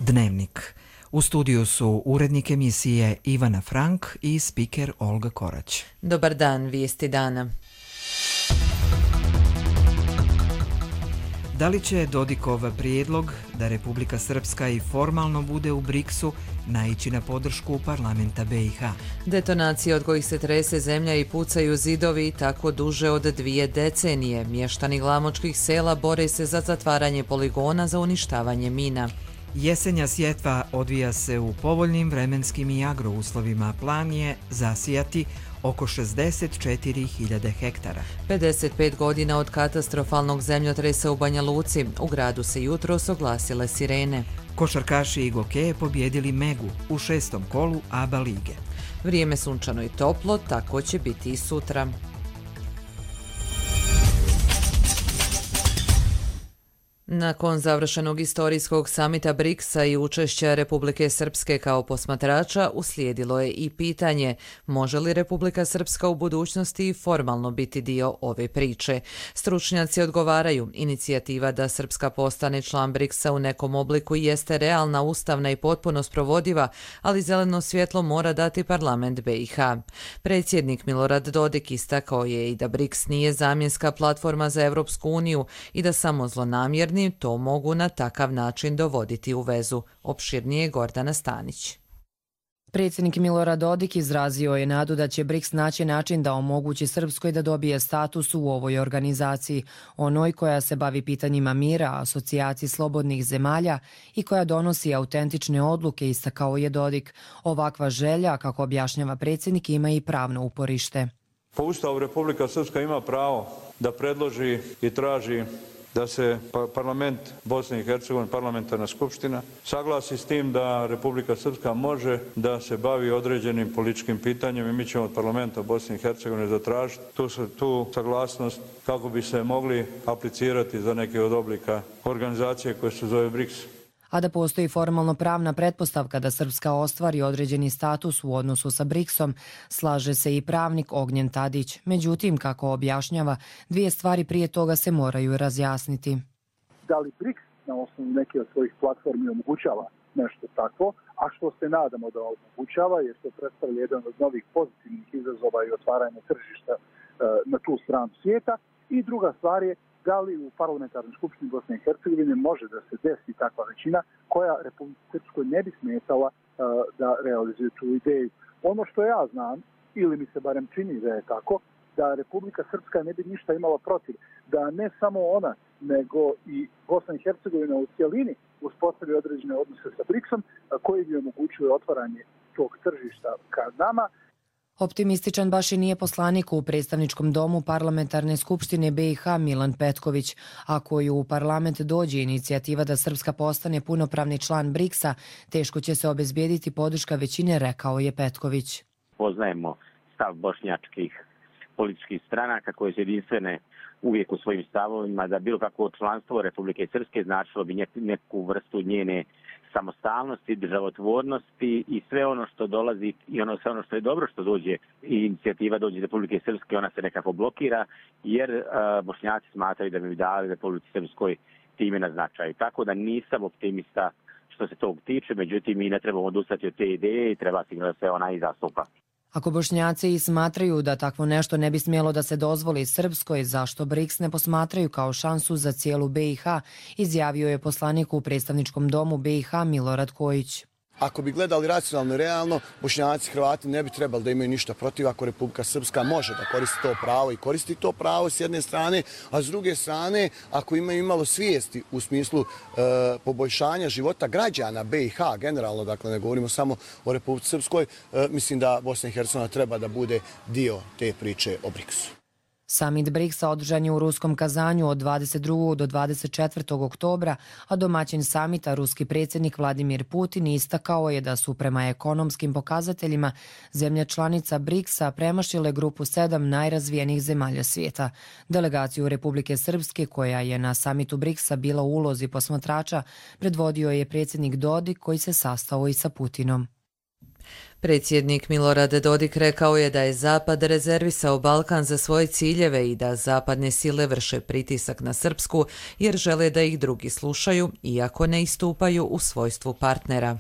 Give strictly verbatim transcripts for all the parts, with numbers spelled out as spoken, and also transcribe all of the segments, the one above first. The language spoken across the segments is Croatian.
Dnevnik. U studiju su urednik emisije Ivana Frank i spiker Olga Korać. Dobar dan, vijesti dana. Da li će Dodikov prijedlog da Republika Srpska i formalno bude u briksu naići na podršku parlamenta B i H? Detonacije od kojih se trese zemlja i pucaju zidovi tako duže od dvije decenije. Mještani glamočkih sela bore se za zatvaranje poligona za uništavanje mina. Jesenja sjetva odvija se u povoljnim vremenskim i agrouslovima. Plan je zasijati oko šezdeset četiri hiljade hektara. pedeset pet godina od katastrofalnog zemljotresa u Banja Luci. U gradu se jutros oglasile sirene. Košarkaši Igoke pobjedili Megu u šestom kolu A B A lige. Vrijeme sunčano i toplo, tako će biti i sutra. Nakon završenog istorijskog samita briksa i učešća Republike Srpske kao posmatrača, uslijedilo je i pitanje može li Republika Srpska u budućnosti formalno biti dio ove priče. Stručnjaci odgovaraju, inicijativa da Srpska postane član briksa u nekom obliku jeste realna, ustavna i potpuno sprovodiva, ali zeleno svjetlo mora dati parlament B i H. Predsjednik Milorad Dodik istakao je i da briks nije zamjenska platforma za Europsku uniju i da samo zlonamjerni to mogu na takav način dovoditi u vezu. Opširnije Gordana Stanić. Predsjednik Milorad Dodik izrazio je nadu da će briks naći način da omogući Srpskoj da dobije status u ovoj organizaciji, onoj koja se bavi pitanjima mira, asocijaciji slobodnih zemalja i koja donosi autentične odluke, istakao je Dodik. Ovakva želja, kako objašnjava predsjednik, ima i pravno uporište. Po Ustavu Republika Srpska ima pravo da predloži i traži da se parlament Bosne i Hercegovine, parlamentarna skupština, saglasi s tim da Republika Srpska može da se bavi određenim političkim pitanjem i mi ćemo od parlamenta Bosne i Hercegovine zatražiti tu, tu saglasnost kako bi se mogli aplicirati za neke od oblika organizacije koje se zove briks. A da postoji formalno pravna pretpostavka da Srpska ostvari određeni status u odnosu sa briksom, slaže se i pravnik Ognjen Tadić. Međutim, kako objašnjava, dvije stvari prije toga se moraju razjasniti. Da li briks na osnovu neke od svojih platformi omogućava nešto takvo, a što se nadamo da omogućava, jer to predstavlja jedan od novih pozitivnih izazova i otvaranja tržišta na tu stranu svijeta. I druga stvar je da li u parlamentarnoj skupštini Bosne i Hercegovine može da se desi takva većina koja Republici Srpskoj ne bi smetala uh, da realizuje tu ideju. Ono što ja znam, ili mi se barem čini da je tako, da Republika Srpska ne bi ništa imala protiv, da ne samo ona, nego i Bosna i Hercegovina u cjelini uspostavi određene odnose sa briksom uh, koji bi omogućuje otvaranje tog tržišta ka nama. Optimističan baš i nije poslanik u predstavničkom domu parlamentarne skupštine B i H Milan Petković. Ako ju u parlament dođe inicijativa da Srpska postane punopravni član briksa, teško će se obezbijediti podrška većine, rekao je Petković. Poznajemo stav bošnjačkih političkih stranaka koje su jedinstvene uvijek u svojim stavovima da bilo kakvo članstvo Republike Srpske značilo bi neku vrstu njene samostalnosti, državotvornosti i sve ono što dolazi i ono sve ono što je dobro što dođe i inicijativa dođe iz Republike Srpske, ona se nekako blokira jer uh, Bošnjaci smatraju da bi dali Republici Srpskoj time na značaju. Tako da nisam optimista što se tog tiče, međutim mi ne trebamo odustati od te ideje i treba sigurno da se ona i zastupa. Ako Bošnjaci smatraju da takvo nešto ne bi smjelo da se dozvoli Srpskoj, zašto briks ne posmatraju kao šansu za cijelu B i H, izjavio je poslanik u predstavničkom domu B i H Milorad Kojić. Ako bi gledali racionalno i realno, Bošnjaci, Hrvati ne bi trebali da imaju ništa protiv ako Republika Srpska može da koristi to pravo i koristi to pravo s jedne strane, a s druge strane, ako imaju imalo svijesti u smislu e, poboljšanja života građana B i H, generalno, dakle ne govorimo samo o Republici Srpskoj, e, mislim da Bosna i Hercegovina treba da bude dio te priče o briksu. Samit briksa održan je u ruskom Kazanju od dvadeset drugog do dvadeset četvrtog oktobra, a domaćin samita, ruski predsjednik Vladimir Putin, istakao je da su prema ekonomskim pokazateljima zemlje članica briksa premašile grupu sedam najrazvijenijih zemalja svijeta. Delegaciju Republike Srpske, koja je na samitu briksa bila u ulozi posmatrača, predvodio je predsjednik Dodik koji se sastao i sa Putinom. Predsjednik Milorad Dodik rekao je da je Zapad rezervisao Balkan za svoje ciljeve i da zapadne sile vrše pritisak na Srpsku jer žele da ih drugi slušaju, iako ne istupaju u svojstvu partnera.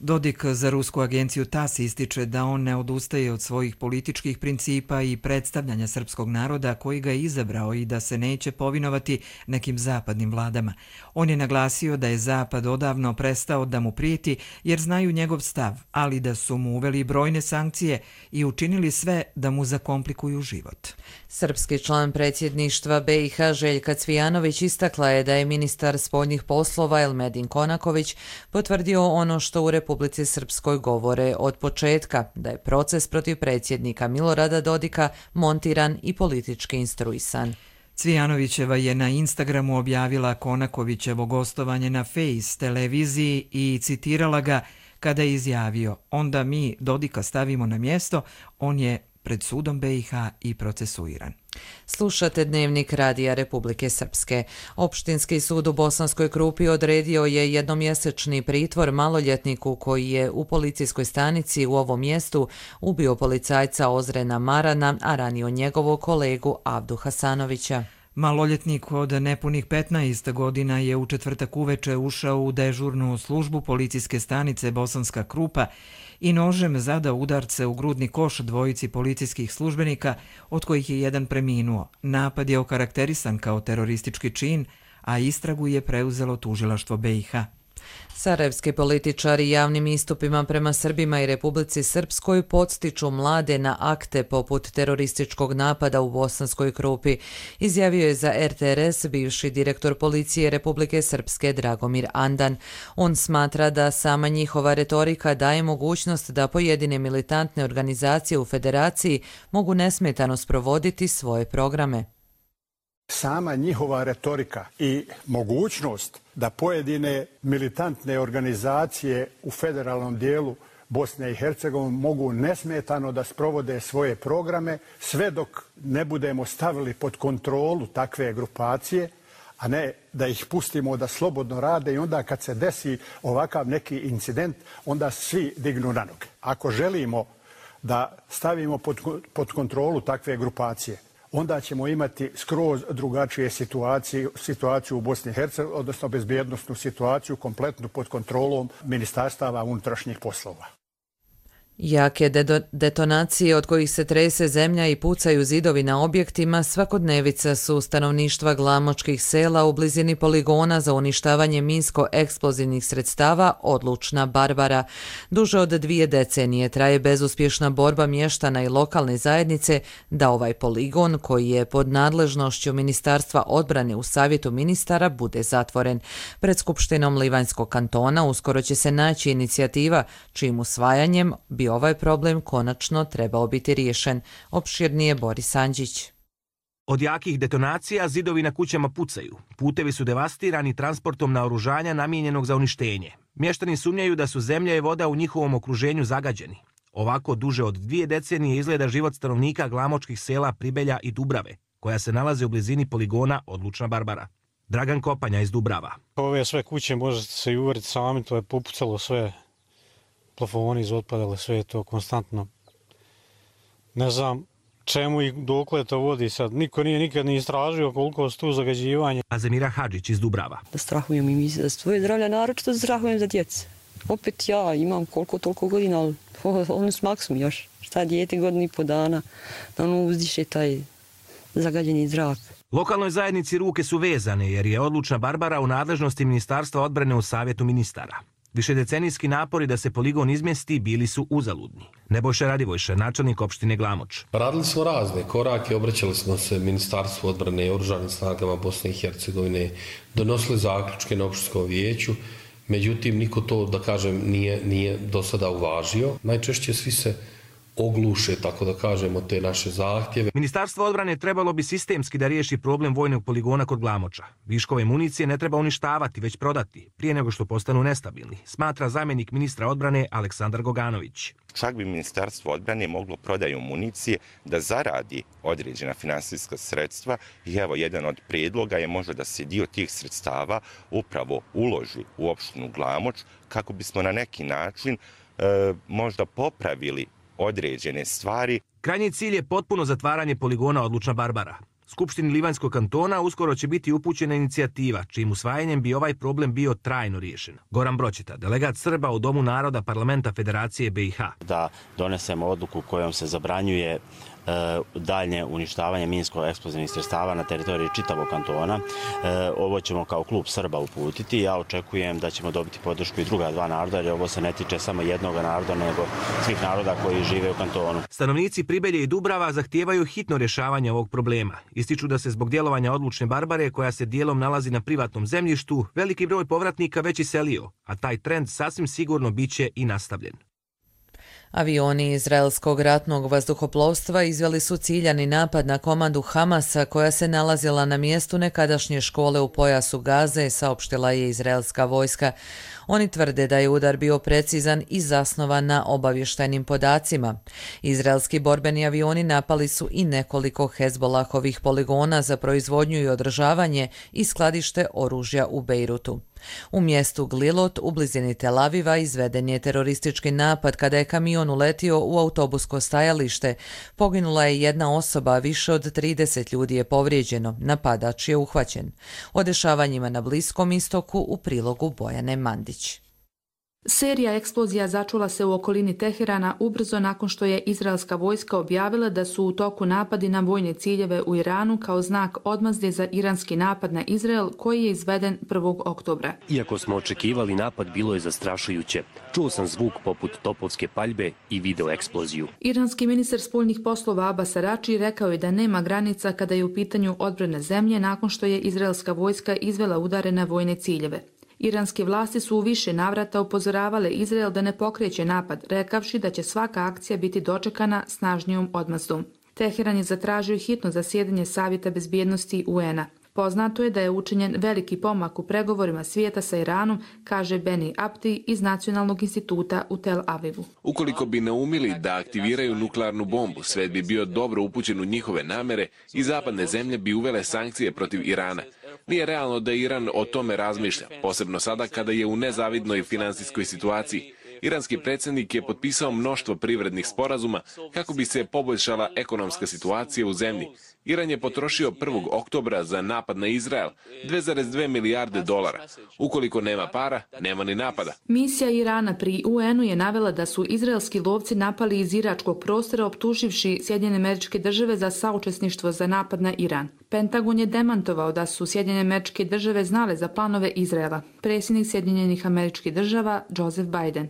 Dodik za rusku agenciju TAS ističe da on ne odustaje od svojih političkih principa i predstavljanja srpskog naroda koji ga je izabrao i da se neće povinovati nekim zapadnim vladama. On je naglasio da je Zapad odavno prestao da mu prijeti jer znaju njegov stav, ali da su mu uveli brojne sankcije i učinili sve da mu zakomplikuju život. Srpski član predsjedništva B i H Željka Cvijanović istakla je da je ministar spoljnih poslova Elmedin Konaković potvrdio ono što u Republici Srpskoj govore od početka, da je proces protiv predsjednika Milorada Dodika montiran i politički instruisan. Cvijanovićeva je na Instagramu objavila Konakovićevo gostovanje na Face televiziji i citirala ga kada je izjavio: "Onda mi Dodika stavimo na mjesto, on je pred sudom B i H i procesuiran." Slušate Dnevnik Radija Republike Srpske. Opštinski sud u Bosanskoj Krupi odredio je jednomjesečni pritvor maloljetniku koji je u policijskoj stanici u ovom mjestu ubio policajca Ozrena Marana, a ranio njegovog kolegu Avdu Hasanovića. Maloljetnik od nepunih petnaest godina je u četvrtak uveče ušao u dežurnu službu policijske stanice Bosanska Krupa i nožem zadao udarce u grudni koš dvojici policijskih službenika, od kojih je jedan preminuo. Napad je okarakterisan kao teroristički čin, a istragu je preuzelo tužilaštvo B i H. Sarajevski političari javnim istupima prema Srbima i Republici Srpskoj podstiču mlade na akte poput terorističkog napada u Bosanskoj Krupi, izjavio je za R T R S bivši direktor policije Republike Srpske Dragomir Andan. On smatra da sama njihova retorika daje mogućnost da pojedine militantne organizacije u federaciji mogu nesmetano sprovoditi svoje programe. Sama njihova retorika i mogućnost da pojedine militantne organizacije u federalnom dijelu Bosne i Hercegovine mogu nesmetano da sprovode svoje programe sve dok ne budemo stavili pod kontrolu takve grupacije, a ne da ih pustimo da slobodno rade i onda kad se desi ovakav neki incident, onda svi dignu na noge. Ako želimo da stavimo pod, pod kontrolu takve grupacije, onda ćemo imati skroz drugačije situacije, situaciju u Bosni i Hercegovini, odnosno bezbjednosnu situaciju kompletnu pod kontrolom Ministarstava unutrašnjih poslova. Jake detonacije od kojih se trese zemlja i pucaju zidovi na objektima svakodnevica su stanovništva glamočkih sela u blizini poligona za uništavanje minsko-eksplozivnih sredstava Odlučna Barbara. Duže od dvije decenije traje bezuspješna borba mještana i lokalne zajednice da ovaj poligon, koji je pod nadležnošću Ministarstva odbrane u Savjetu ministara, bude zatvoren. Pred Skupštinom Livanjskog kantona uskoro će se naći inicijativa čijim usvajanjem bi ovaj problem konačno trebao biti riješen. Opširnije Boris Andžić. Od jakih detonacija zidovi na kućama pucaju. Putevi su devastirani transportom naoružanja namijenjenog za uništenje. Mještani sumnjaju da su zemlja i voda u njihovom okruženju zagađeni. Ovako duže od dvije decenije izgleda život stanovnika glamočkih sela Pribelja i Dubrave, koja se nalaze u blizini poligona Odlučna Barbara. Dragan Kopanja iz Dubrava. Ove sve kuće možete se i uveriti sami, to je popucalo sve. Plafoni izotpadale, sve je to konstantno. Ne znam čemu i dokle to vodi sad. Niko nije nikad ni istražio koliko su tu zagađivanje. Azemira Hadžić iz Dubrava. Da strahujem i mi za svoje zdravlje, naročito strahujem za djecu. Opet ja imam koliko toliko godina, ali ono s maksom još. Šta dijete godinu i po dana, da ono uzdiše taj zagađeni zrak. Lokalnoj zajednici ruke su vezane jer je Odlučna Barbara u nadležnosti Ministarstva odbrane u Savjetu ministara. Višedecenijski napori da se poligon izmjesti bili su uzaludni. Nebojša Radivojša, načelnik opštine Glamoč. Radili smo razne korake, obraćali smo se Ministarstvu odbrane i oružanim snagama Bosne i Hercegovine, donosili zaključke na opštinskom vijeću, međutim niko to, da kažem, nije, nije do sada uvažio. Najčešće svi se ogluše, tako da kažemo, te naše zahtjeve. Ministarstvo odbrane trebalo bi sistemski da riješi problem vojnog poligona kod Glamoča. Viškove municije ne treba uništavati, već prodati, prije nego što postanu nestabilni, smatra zamjenik ministra odbrane Aleksandar Goganović. Čak bi Ministarstvo odbrane moglo prodaju municije da zaradi određena finansijska sredstva i evo jedan od prijedloga je možda da se dio tih sredstava upravo uloži u opštinu Glamoč kako bismo na neki način e, možda popravili određene stvari. Krajnji cilj je potpuno zatvaranje poligona Odlučna Barbara. Skupštini Livanjskog kantona uskoro će biti upućena inicijativa, čijim usvajanjem bi ovaj problem bio trajno riješen. Goran Broćeta, delegat Srba u Domu naroda Parlamenta Federacije B i H. Da donesemo odluku kojom se zabranjuje daljnje uništavanje minsko-eksplozivnih sredstava na teritoriji čitavog kantona. Ovo ćemo kao klub Srba uputiti. Ja očekujem da ćemo dobiti podršku i druga dva naroda, jer ovo se ne tiče samo jednog naroda, nego svih naroda koji žive u kantonu. Stanovnici Pribelje i Dubrava zahtijevaju hitno rješavanje ovog problema. Ističu da se zbog djelovanja Odlučne Barbare, koja se dijelom nalazi na privatnom zemljištu, veliki broj povratnika već iselio, a taj trend sasvim sigurno biće i nastavljen. Avioni izraelskog ratnog vazduhoplovstva izveli su ciljani napad na komandu Hamasa koja se nalazila na mjestu nekadašnje škole u pojasu Gaze, saopštila je izraelska vojska. Oni tvrde da je udar bio precizan i zasnovan na obavještajnim podacima. Izraelski borbeni avioni napali su i nekoliko Hezbolahovih poligona za proizvodnju i održavanje i skladište oružja u Bejrutu. U mjestu Glilot u blizini Tel Aviva izveden je teroristički napad kada je kamion uletio u autobusko stajalište. Poginula je jedna osoba, više od trideset ljudi je povrijeđeno. Napadač je uhvaćen. O dešavanjima na Bliskom istoku u prilogu Bojane Mandić. Serija eksplozija začula se u okolini Teherana ubrzo nakon što je izraelska vojska objavila da su u toku napadi na vojne ciljeve u Iranu kao znak odmazde za iranski napad na Izrael koji je izveden prvog oktobra. Iako smo očekivali napad, bilo je zastrašujuće. Čuo sam zvuk poput topovske paljbe i video eksploziju. Iranski ministar spoljnih poslova Abbas Arači rekao je da nema granica kada je u pitanju odbrane zemlje nakon što je izraelska vojska izvela udare na vojne ciljeve. Iranske vlasti su u više navrata upozoravale Izrael da ne pokreće napad, rekavši da će svaka akcija biti dočekana snažnijom odmazdom. Teheran je zatražio hitno zasjedanje Savjeta bezbjednosti U N-a. Poznato je da je učinjen veliki pomak u pregovorima svijeta sa Iranom, kaže Beni Abdi iz Nacionalnog instituta u Tel Avivu. Ukoliko bi naumili da aktiviraju nuklearnu bombu, svet bi bio dobro upućen u njihove namere i zapadne zemlje bi uvele sankcije protiv Irana. Nije realno da Iran o tome razmišlja, posebno sada kada je u nezavidnoj finansijskoj situaciji. Iranski predsjednik je potpisao mnoštvo privrednih sporazuma kako bi se poboljšala ekonomska situacija u zemlji. Iran je potrošio prvog oktobra za napad na Izrael dvije zarez dvije milijarde dolara. Ukoliko nema para, nema ni napada. Misija Irana pri U N-u je navela da su izraelski lovci napali iz iračkog prostora optuživši Sjedinjene Američke Države za saučesništvo za napad na Iran. Pentagon je demantovao da su Sjedinjene Američke Države znale za planove Izraela. Predsjednik Sjedinjenih Američkih Država Joseph Biden.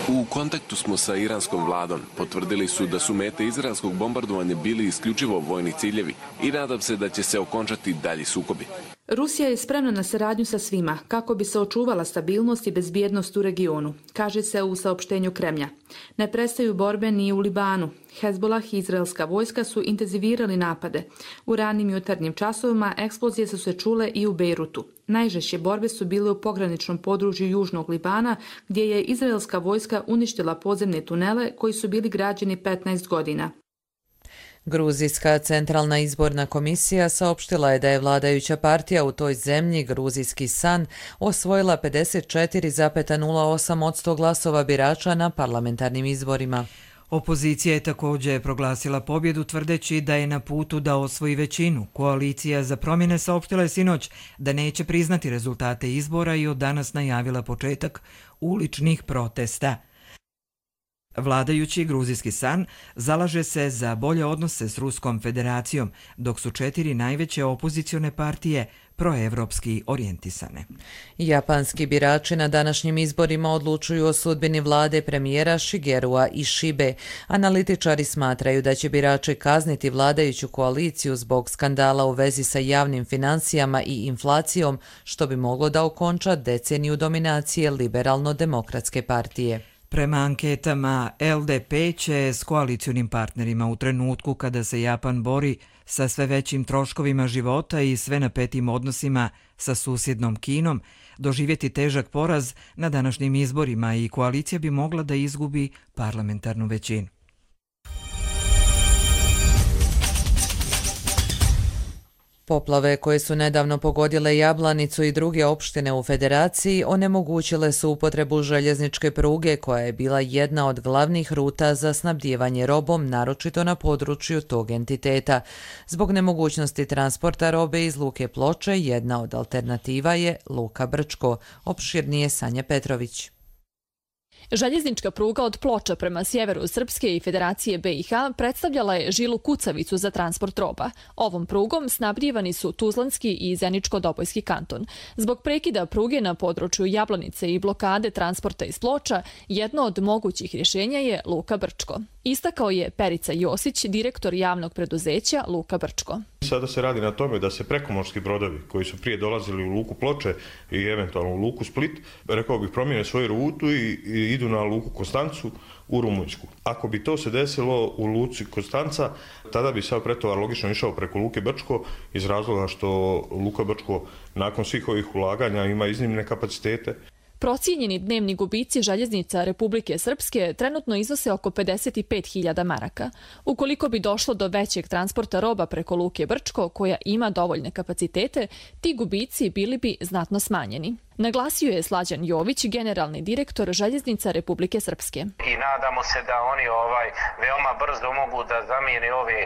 U kontaktu smo sa iranskom vladom. Potvrdili su da su mete izraelskog bombardovanja bili isključivo vojni ciljevi i nadam se da će se okončati dalji sukobi. Rusija je spremna na saradnju sa svima kako bi se očuvala stabilnost i bezbjednost u regionu, kaže se u saopštenju Kremlja. Ne prestaju borbe ni u Libanu. Hezbolah i izraelska vojska su intenzivirali napade. U ranim jutarnjim časovima eksplozije su se čule i u Bejrutu. Najžešće borbe su bile u pograničnom području južnog Libana, gdje je izraelska vojska uništila podzemne tunele koji su bili građeni petnaest godina. Gruzijska centralna izborna komisija saopštila je da je vladajuća partija u toj zemlji, Gruzijski san, osvojila pedeset četiri zarez nula osam posto glasova birača na parlamentarnim izborima. Opozicija je također proglasila pobjedu tvrdeći da je na putu da osvoji većinu. Koalicija za promjene saopštila je sinoć da neće priznati rezultate izbora i od danas najavila početak uličnih protesta. Vladajući Gruzijski san zalaže se za bolje odnose s Ruskom federacijom, dok su četiri najveće opozicione partije proevropski orijentisane. Japanski birači na današnjim izborima odlučuju o sudbini vlade premijera Shigerua Ishibe. Analitičari smatraju da će birači kazniti vladajuću koaliciju zbog skandala u vezi sa javnim financijama i inflacijom, što bi moglo da okonča deceniju dominacije liberalno-demokratske partije. Prema anketama, L D P će s koalicionim partnerima u trenutku kada se Japan bori sa sve većim troškovima života i sve napetim odnosima sa susjednom Kinom doživjeti težak poraz na današnjim izborima i koalicija bi mogla da izgubi parlamentarnu većinu. Poplave koje su nedavno pogodile Jablanicu i druge opštine u Federaciji onemogućile su upotrebu željezničke pruge koja je bila jedna od glavnih ruta za snabdijevanje robom, naročito na području tog entiteta. Zbog nemogućnosti transporta robe iz Luke Ploče, jedna od alternativa je Luka Brčko. Opširnije Sanja Petrović. Željeznička pruga od Ploča prema sjeveru Srpske i Federacije B i H predstavljala je žilu kucavicu za transport roba. Ovom prugom snabdijevani su Tuzlanski i Zeničko-Dobojski kanton. Zbog prekida pruge na području Jablanice i blokade transporta iz Ploča, jedno od mogućih rješenja je Luka Brčko. Istakao je Perica Josić, direktor javnog preduzeća Luka Brčko. Sada se radi na tome da se prekomorski brodovi koji su prije dolazili u Luku Ploče i eventualno u Luku Split, rekao bih, promijene svoju rutu i, i idu na Luku Konstancu u Rumunjsku. Ako bi to se desilo u Luci Konstanca, tada bi sav pretovar logično išao preko Luke Brčko iz razloga što Luka Brčko nakon svih ovih ulaganja ima iznimne kapacitete. Procijenjeni dnevni gubici željeznica Republike Srpske trenutno iznose oko pedeset pet hiljada maraka. Ukoliko bi došlo do većeg transporta roba preko Luke Brčko, koja ima dovoljne kapacitete, ti gubici bili bi znatno smanjeni. Naglasio je Slađan Jović, generalni direktor željeznica Republike Srpske. I nadamo se da oni ovaj veoma brzo mogu da zamijene ove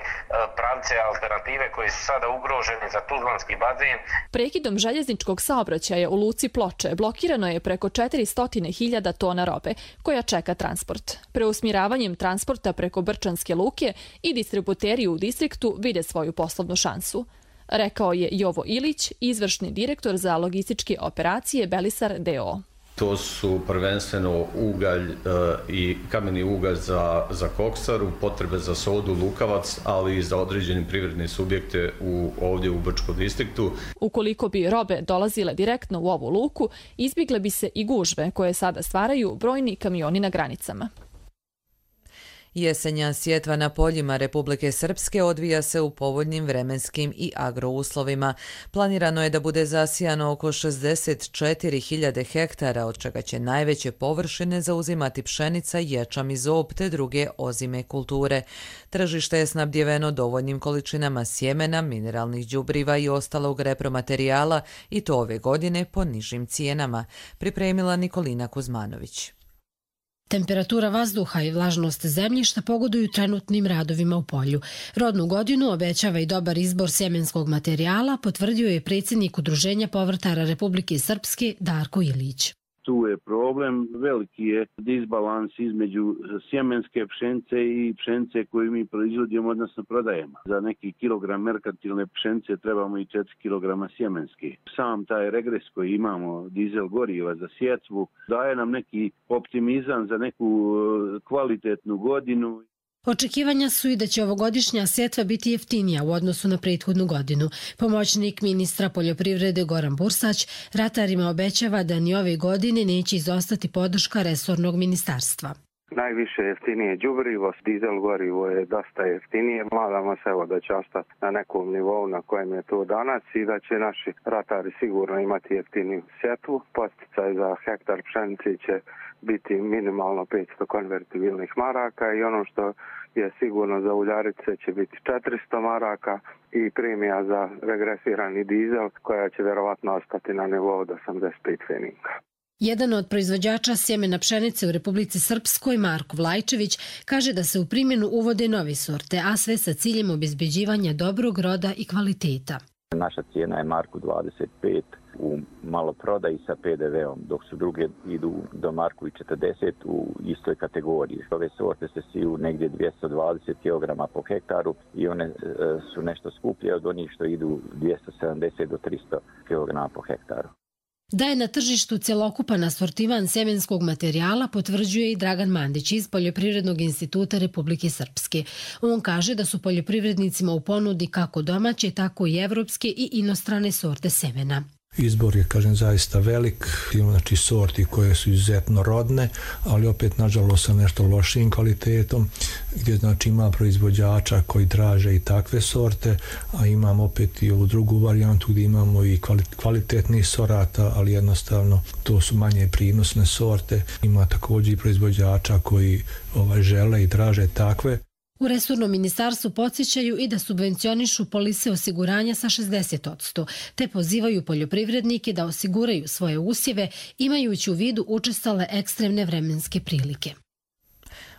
pravce alternative koji su sada ugroženi za Tuzlanski bazen. Prekidom željezničkog saobraćaja u Luci Ploče blokirano je preko četiristo hiljada tona robe koja čeka transport. Preusmjeravanjem transporta preko Brčanske luke i distributeri u distriktu vide svoju poslovnu šansu. Rekao je Jovo Ilić, izvršni direktor za logističke operacije Belisar D O. To su prvenstveno ugalj e, i kameni ugalj za, za koksaru, potrebe za sodu, lukavac, ali i za određene privredne subjekte u, ovdje u Brčkom distriktu. Ukoliko bi robe dolazile direktno u ovu luku, izbjegle bi se i gužve koje sada stvaraju brojni kamioni na granicama. Jesenja sjetva na poljima Republike Srpske odvija se u povoljnim vremenskim i agrouslovima. Planirano je da bude zasijano oko šezdeset četiri hiljade hektara, od čega će najveće površine zauzimati pšenica, ječam i zob te druge ozime kulture. Tržište je snabdjeveno dovoljnim količinama sjemena, mineralnih đubriva i ostalog repromaterijala i to ove godine po nižim cijenama, pripremila Nikolina Kuzmanović. Temperatura vazduha i vlažnost zemljišta pogoduju trenutnim radovima u polju. Rodnu godinu obećava i dobar izbor sjemenskog materijala, potvrdio je predsjednik Udruženja povrtara Republike Srpske Darko Ilić. Tu je problem, veliki je disbalans između sjemenske pšenice i pšenice koju mi proizvodimo, odnosno prodajemo. Za neki kilogram merkantilne pšenice trebamo i četiri kilograma sjemenske. Sam taj regres koji imamo, dizel goriva za sjetvu, daje nam neki optimizam za neku kvalitetnu godinu. Očekivanja su i da će ovogodišnja sjetva biti jeftinija u odnosu na prethodnu godinu. Pomoćnik ministra poljoprivrede Goran Bursać ratarima obećava da ni ove godine neće izostati podrška resornog ministarstva. Najviše jeftinije đubrivo, dizel gorivo je dosta jeftinije. Nadamo se evo da će ostati na nekom nivou na kojem je to danas i da će naši ratari sigurno imati jeftiniju sjetvu. Posticaj za hektar pšenice će biti minimalno petsto konvertibilnih maraka i ono što je sigurno za uljarice će biti četiristo maraka i premija za regresirani dizel koja će vjerovatno ostati na nivou od osamdeset pet pfeninga. Jedan od proizvođača sjemena pšenice u Republici Srpskoj, Marko Vlajčević, kaže da se u primjenu uvode nove sorte, a sve sa ciljem obezbeđivanja dobrog roda i kvaliteta. Naša cijena je Marku dvadeset pet u maloprodaji sa pe de veom, dok su druge idu do Marku i četrdeset u istoj kategoriji. Ove sorte se siju negdje dvjesto dvadeset kilograma po hektaru i one e, su nešto skuplje od onih što idu dvjesto sedamdeset do tristo kilograma po hektaru. Da je na tržištu cjelokupan asortiman sjemenskog materijala potvrđuje i Dragan Mandić iz Poljoprivrednog instituta Republike Srpske. On kaže da su poljoprivrednicima u ponudi kako domaće, tako i evropske i inostrane sorte semena. Izbor je, kažem, zaista velik. Imamo znači sorti koje su izuzetno rodne, ali opet nažalost sa nešto lošijim kvalitetom, gdje znači ima proizvođača koji traže i takve sorte, a imamo opet i ovu drugu varijantu gdje imamo i kvalitetnih sorata, ali jednostavno to su manje prinosne sorte. Ima također i proizvođača koji ovaj, žele i traže takve. U resornom ministarstvu podsjećaju i da subvencionišu polise osiguranja sa šezdeset posto, te pozivaju poljoprivrednike da osiguraju svoje usjeve imajući u vidu učestale ekstremne vremenske prilike.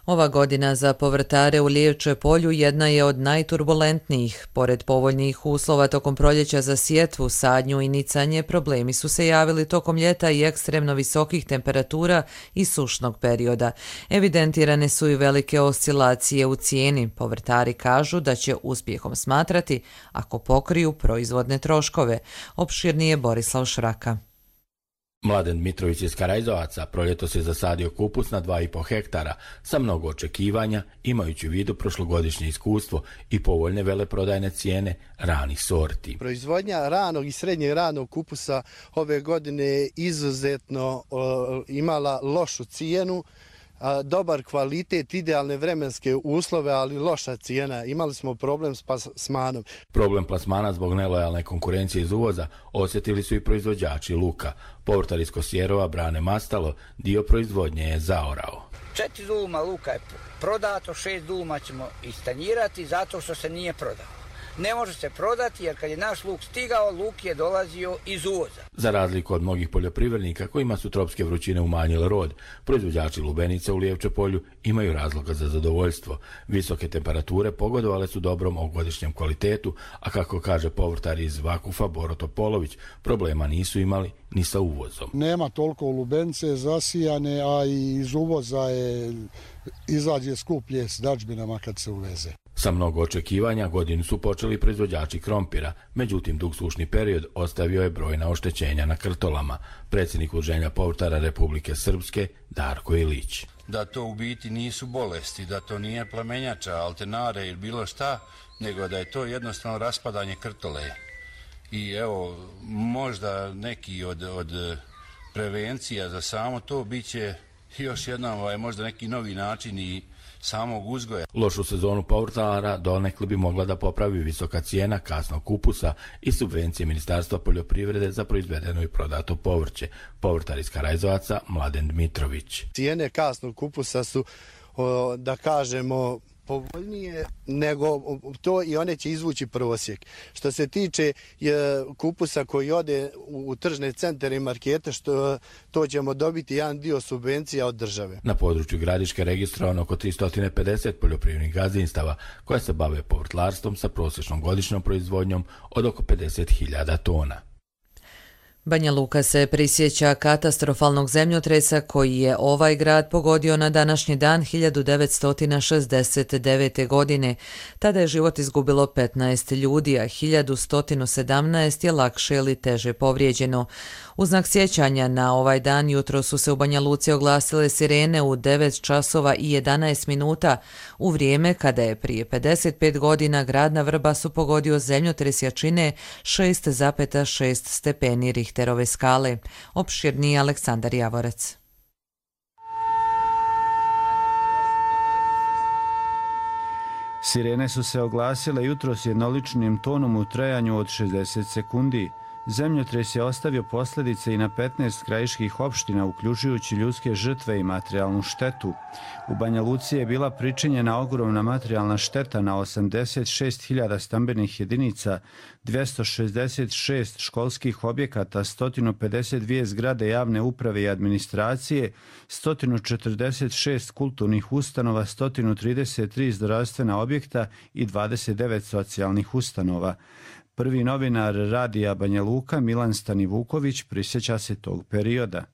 Ova godina za povrtare u Lijevče polju jedna je od najturbulentnijih. Pored povoljnih uslova tokom proljeća za sjetvu, sadnju i nicanje, problemi su se javili tokom ljeta i ekstremno visokih temperatura i sušnog perioda. Evidentirane su i velike oscilacije u cijeni. Povrtari kažu da će uspjehom smatrati ako pokriju proizvodne troškove. Opširnije Borislav Šraka. Mladen Dmitrović iz Karajzovaca proljetos je zasadio kupus na dva i po hektara sa mnogo očekivanja, imajući u vidu prošlogodišnje iskustvo i povoljne veleprodajne cijene ranih sorti. Proizvodnja ranog i srednjeg ranog kupusa ove godine je izuzetno o, imala lošu cijenu, a, dobar kvalitet, idealne vremenske uslove, ali loša cijena. Imali smo problem s plasmanom. Problem plasmana zbog nelojalne konkurencije iz uvoza osjetili su i proizvođači luka. Povrtar iz Kosjerova Brane Mastalo dio proizvodnje je zaorao. Četiri duluma luka je prodato, šest duluma ćemo istanjirati zato što se nije prodao. Ne može se prodati jer kad je naš luk stigao, luk je dolazio iz uvoza. Za razliku od mnogih poljoprivrednika kojima su tropske vrućine umanjile rod, proizvođači lubenica u Lijevče polju imaju razloga za zadovoljstvo. Visoke temperature pogodovale su dobrom ovogodišnjem kvalitetu, a kako kaže povrtar iz Vakufa Boro Topolović, problema nisu imali ni sa uvozom. Nema toliko lubenice zasijane, a i iz uvoza je izađe skuplje s dažbinama kad se uveze. Sa mnogo očekivanja godinu su počeli proizvođači krompira, međutim dug sušni period ostavio je brojna oštećenja na krtolama. Predsjednik Udruženja povrtara Republike Srpske Darko Ilić. Da to u biti nisu bolesti, da to nije plemenjača, alternare ili bilo šta, nego da je to jednostavno raspadanje krtole. I evo, možda neki od, od prevencija za samo to bit će još jedan, ovaj, možda neki novi način i samog uzgoja. Lošu sezonu povrtara donekle bi mogla da popravi visoka cijena kasnog kupusa i subvencije Ministarstva poljoprivrede za proizvedeno i prodato povrće. Povrtar iz Karajzovaca Mladen Dmitrović. Cijene kasnog kupusa su, da kažemo, povoljnije nego to i one će izvući prosjek. Što se tiče kupusa koji ode u tržne centre i markete, što to ćemo dobiti jedan dio subvencija od države. Na području Gradiške registrovano oko tristo pedeset poljoprivrednih gazdinstava koja se bave povrtlarstvom sa prosječnom godišnjom proizvodnjom od oko pedeset hiljada tona. Banja Luka se prisjeća katastrofalnog zemljotresa koji je ovaj grad pogodio na današnji dan hiljadu devetsto šezdeset devete. godine. Tada je život izgubilo petnaest ljudi, a hiljadu sto sedamnaest je lakše ili teže povrijeđeno. U znak sjećanja na ovaj dan jutro su se u Banja Luci oglasile sirene u devet časova i jedanaest minuta, u vrijeme kada je prije pedeset pet godina grad na Vrbasu pogodio zemljotres jačine šest zarez šest stepeni Richterove skale. Opširniji Aleksandar Javorac. Sirene su se oglasile jutros jednoličnim tonom u trajanju od šezdeset sekundi. Zemljotres je ostavio posljedice i na petnaest krajiških opština, uključujući ljudske žrtve i materijalnu štetu. U Banja Luci je bila pričinjena ogromna materijalna šteta na osamdeset šest hiljada stambenih jedinica, dvjesto šezdeset šest školskih objekata, sto pedeset dvije zgrade javne uprave i administracije, sto četrdeset šest kulturnih ustanova, sto trideset tri zdravstvena objekta i dvadeset devet socijalnih ustanova. Prvi novinar radija Banja Luka, Milan Stanivuković, prisjeća se tog perioda.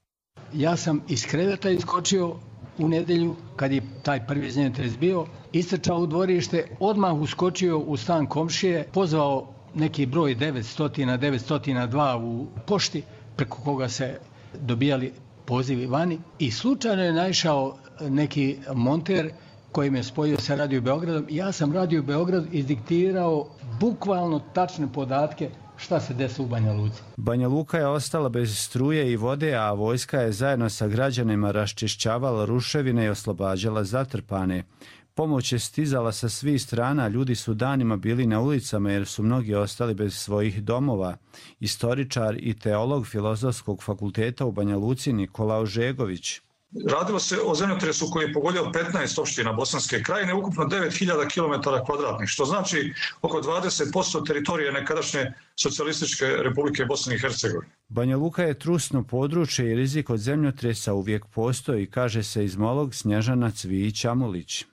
Ja sam iz kreveta iskočio u nedelju, kad je taj prvi zemljotres bio, istrčao u dvorište, odmah uskočio u stan komšije, pozvao neki broj devetsto, devetsto dva u pošti, preko koga se dobijali pozivi vani, i slučajno je naišao neki monter koji me spojio sa Radio Beogradom. Ja sam Radio Beograd izdiktirao bukvalno tačne podatke šta se desilo u Banja Luci. Banja Luka je ostala bez struje i vode, a vojska je zajedno sa građanima raščišćavala ruševine i oslobađala zatrpane. Pomoć je stizala sa svih strana, ljudi su danima bili na ulicama jer su mnogi ostali bez svojih domova. Istoričar i teolog Filozofskog fakulteta u Banja Luci Nikola Ožegović. Radilo se o zemljotresu koji je pogodio petnaest opština Bosanske krajine, ukupno devet hiljada kilometara kvadratnih, što znači oko dvadeset posto teritorije nekadašnje Socijalističke Republike Bosne i Hercegovine. Banja Luka je trusno područje i rizik od zemljotresa uvijek postoji, kaže seizmolog Snježana Cvijić-Amulić.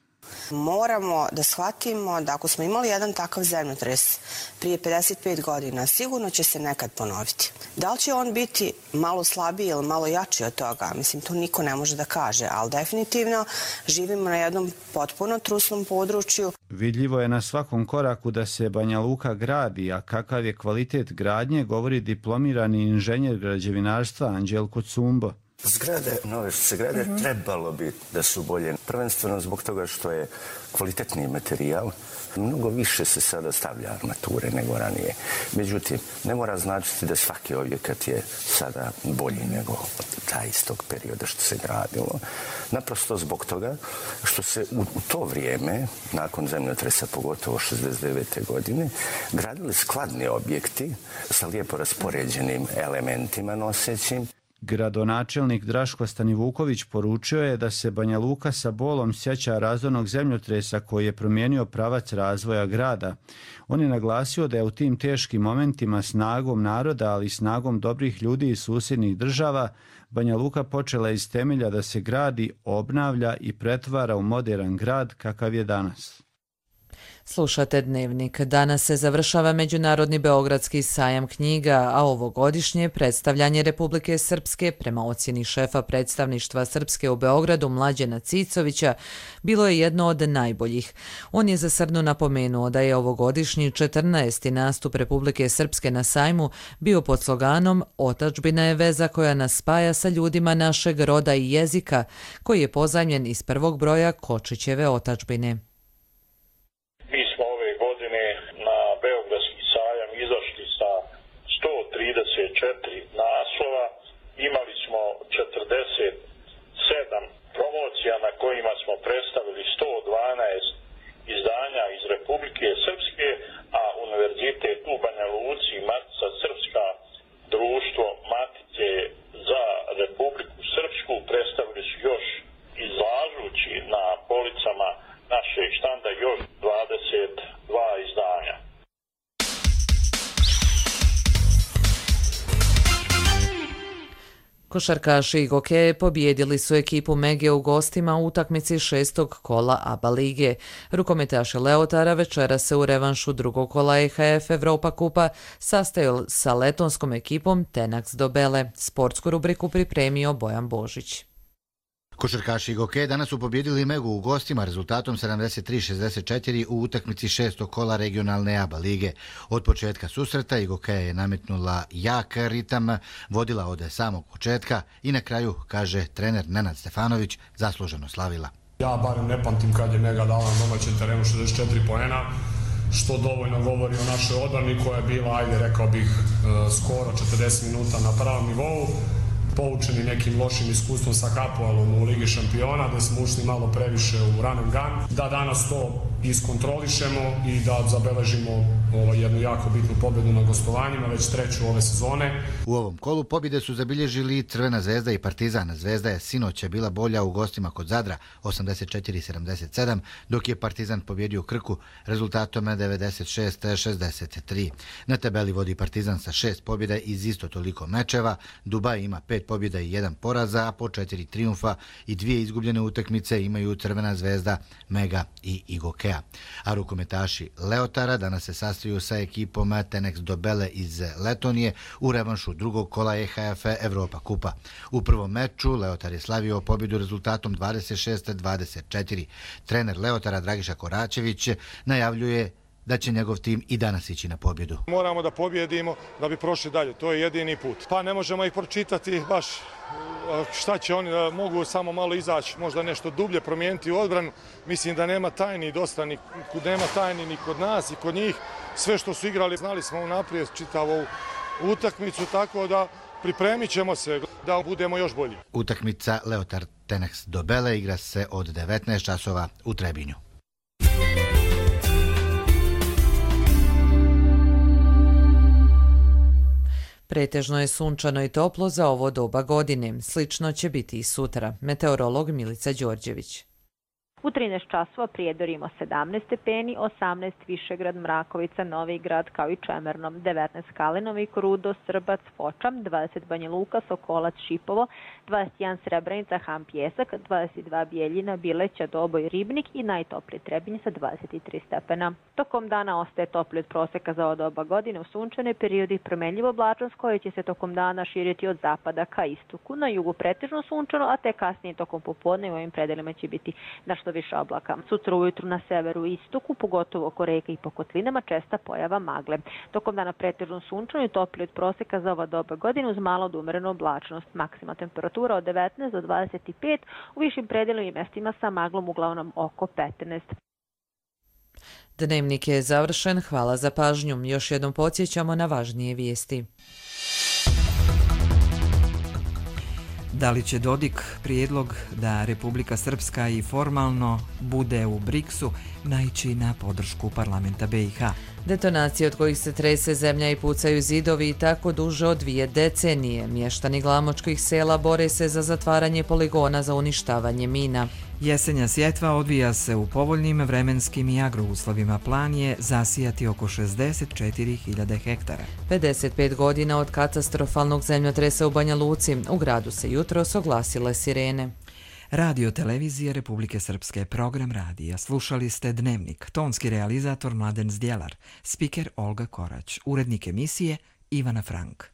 Moramo da shvatimo da ako smo imali jedan takav zemljotres prije pedeset pet godina, sigurno će se nekad ponoviti. Da li će on biti malo slabiji ili malo jači od toga? Mislim, to niko ne može da kaže, ali definitivno živimo na jednom potpuno trusnom području. Vidljivo je na svakom koraku da se Banja Luka gradi, a kakav je kvalitet gradnje, govori diplomirani inženjer građevinarstva Anđelko Cumbo. Zgrade, nove zgrade, mm-hmm. trebalo bi da su bolje. Prvenstveno zbog toga što je kvalitetniji materijal. Mnogo više se sada stavlja armature nego ranije. Međutim, ne mora značiti da svaki objekat je sada bolji nego taj istog perioda što se gradilo. Naprosto zbog toga što se u, u to vrijeme, nakon zemljotresa, pogotovo šezdeset devete godine, gradili skladni objekti sa lijepo raspoređenim elementima nosećim. Gradonačelnik Draško Stanivuković poručio je da se Banja Luka sa bolom sjeća razornog zemljotresa koji je promijenio pravac razvoja grada. On je naglasio da je u tim teškim momentima snagom naroda, ali i snagom dobrih ljudi iz susjednih država, Banja Luka počela iz temelja da se gradi, obnavlja i pretvara u moderan grad kakav je danas. Slušate Dnevnik. Danas se završava Međunarodni beogradski sajam knjiga, a ovogodišnje predstavljanje Republike Srpske prema ocjeni šefa predstavništva Srpske u Beogradu Mlađena Cicovića bilo je jedno od najboljih. On je zasrdno napomenuo da je ovogodišnji četrnaesti nastup Republike Srpske na sajmu bio pod sloganom "Otadžbina je veza koja nas spaja sa ljudima našeg roda i jezika", koji je pozajmljen iz prvog broja Kočićeve otadžbine. Mi smo ove godine na Beogradski sajam izašli sa sto trideset četiri naslova, imali smo četrdeset sedam promocija na kojima smo predstavili sto dvanaest izdanja iz Republike Srpske, a Univerzitet u Banja Luci i Matica Srpska, društvo Matice za Republiku Srpsku predstavili su još, izlažući na policama našeg štanda, još dvadeset dva izdanja. Košarkaši i gokeje pobjedili su ekipu Mege u gostima u utakmici šestog kola ABA lige. Rukometaši Leotara večera se u revanšu drugog kola E H F Evropa kupa sastaju sa letonskom ekipom Tenax Dobele. Sportsku rubriku pripremio Bojan Božić. Košarkaši i gokeje danas su pobjedili Megu u gostima rezultatom sedamdeset tri šezdeset četiri u utakmici šestog kola regionalne ABA lige. Od početka susreta i gokeja je nametnula jak ritam, vodila od samog početka i na kraju, kaže trener Nenad Stefanović, zasluženo slavila. Ja barem ne pamtim kad je Mega dala na domaćem terenu šezdeset četiri poena, što dovoljno govori o našoj odbrani koja je bila, ajde rekao bih, skoro četrdeset minuta na pravom nivou. Poučeni nekim lošim iskustvom sa Hapoelom u Ligi šampiona, da smo ušli malo previše u run and gun, da danas to iskontrolišemo i da zabeležimo ovo, jednu jako bitnu pobjedu na gostovanjima, već treću ove sezone. U ovom kolu pobjede su zabilježili Crvena zvezda i Partizan. Zvezda je sinoć bila bolja u gostima kod Zadra, osamdeset četiri sedamdeset sedam, dok je Partizan pobjedio Krku rezultatom devedeset šest šezdeset tri. Na tabeli vodi Partizan sa šest pobjeda iz isto toliko mečeva, Dubaj ima pet pobjeda i jedan poraza, a po četiri triumfa i dvije izgubljene utakmice imaju Crvena zvezda, Mega i Igokeja. A rukometaši Leotara danas se sastaju sa ekipom Tenex Dobele iz Letonije u revanšu drugog kola E H F Evropa kupa. U prvom meču Leotar je slavio pobjedu rezultatom dvadeset šest dvadeset četiri. Trener Leotara Dragiša Koračević najavljuje da će njegov tim i danas ići na pobjedu. Moramo da pobjedimo da bi prošli dalje, to je jedini put. Pa ne možemo ih pročitati baš šta će oni, da mogu samo malo izaći, možda nešto dublje promijeniti u odbranu. Mislim da nema tajni dosta, ni, nema tajni ni kod nas i kod njih. Sve što su igrali, znali smo unaprijed čitavu utakmicu, tako da pripremit ćemo se da budemo još bolji. Utakmica Leotar Tenex Dobele igra se od devetnaest časova u Trebinju. Pretežno je sunčano i toplo za ovo doba godine. Slično će biti i sutra. Meteorolog Milica Đorđević. U trinaest časova Prijedor ima sedamnaest stepeni, osamnaest Višegrad, Mrakovica, Novi Grad kao i Čemerno, devetnaest Kalinovik, Rudo, Srbac, Foča, dvadeset Banja Luka, Sokolac, Šipovo, dvadeset jedan Srebrenica, Han Pjesak, dvadeset dva Bijeljina, Bileća, Doboj, Ribnik i najtopliji Trebinje sa dvadeset tri stepena. Tokom dana ostaje topli od proseka za ovo doba godine u sunčane periodi, promenljivo oblačnost koje će se tokom dana širiti od zapada ka istoku. Na jugu pretežno sunčano, a te kasnije tokom popodne u ovim predelima će biti nešto više oblaka. Sutra ujutru na severu i istoku, pogotovo oko reka i po kotlinama, česta pojava magle. Tokom dana pretežno sunčano i topli od proseka za ova doba godine uz malo od umerenu oblačnost. Maksimalna temperatura od devetnaest do dvadeset pet, u višim predelima i mestima sa maglom uglavnom oko petnaest. Dnevnik je završen, hvala za pažnju. Još jednom podsjećamo na važnije vijesti. Da li će Dodik prijedlog da Republika Srpska i formalno bude u briksu naići na podršku parlamenta be i ha? Detonacije od kojih se trese zemlja i pucaju zidovi i tako duže od dvije decenije. Mještani glamočkih sela bore se za zatvaranje poligona za uništavanje mina. Jesenja sjetva odvija se u povoljnim vremenskim i agrouslovima. Plan je zasijati oko šezdeset četiri hiljade hektara. pedeset pet godina od katastrofalnog zemljotresa u Banja Luci. U gradu se jutros oglasile sirene. Radio televizije Republike Srpske, program radija. Slušali ste Dnevnik, tonski realizator Mladen Zdjelar, spiker Olga Korać, urednik emisije Ivana Frank.